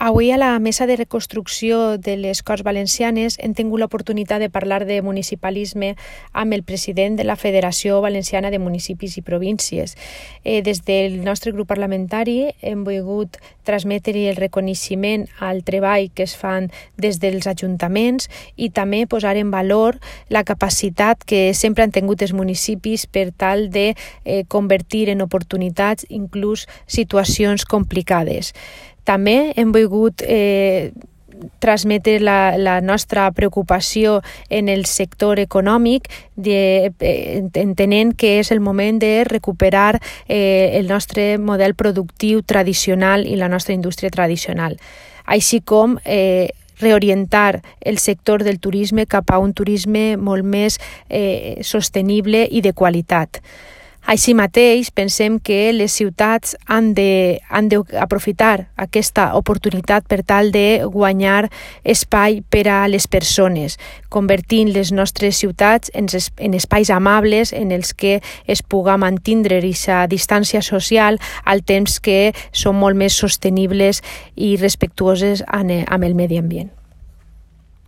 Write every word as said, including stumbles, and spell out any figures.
Avui a la Mesa de Reconstrucció de les Corts Valencianes hem tingut l'oportunitat de parlar de municipalisme amb el president de la Federació Valenciana de Municipis i Províncies. Eh, des del nostre grup parlamentari hem volgut transmetre el reconeixement al treball que es fan des dels ajuntaments i també posar en valor la capacitat que sempre han tingut els municipis per tal de eh, convertir en oportunitats inclús situacions complicades. També hem volgut eh, transmetre la, la nostra preocupació en el sector econòmic, de, eh, entenent que és el moment de recuperar eh, el nostre model productiu tradicional i la nostra indústria tradicional, així com eh, reorientar el sector del turisme cap a un turisme molt més eh, sostenible i de qualitat. Així mateix, pensem que les ciutats han de, han d'aprofitar aquesta oportunitat per tal de guanyar espai per a les persones, convertint les nostres ciutats en, en espais amables en els que es puga mantindre aquesta distància social al temps que són molt més sostenibles i respectuoses amb el medi ambient.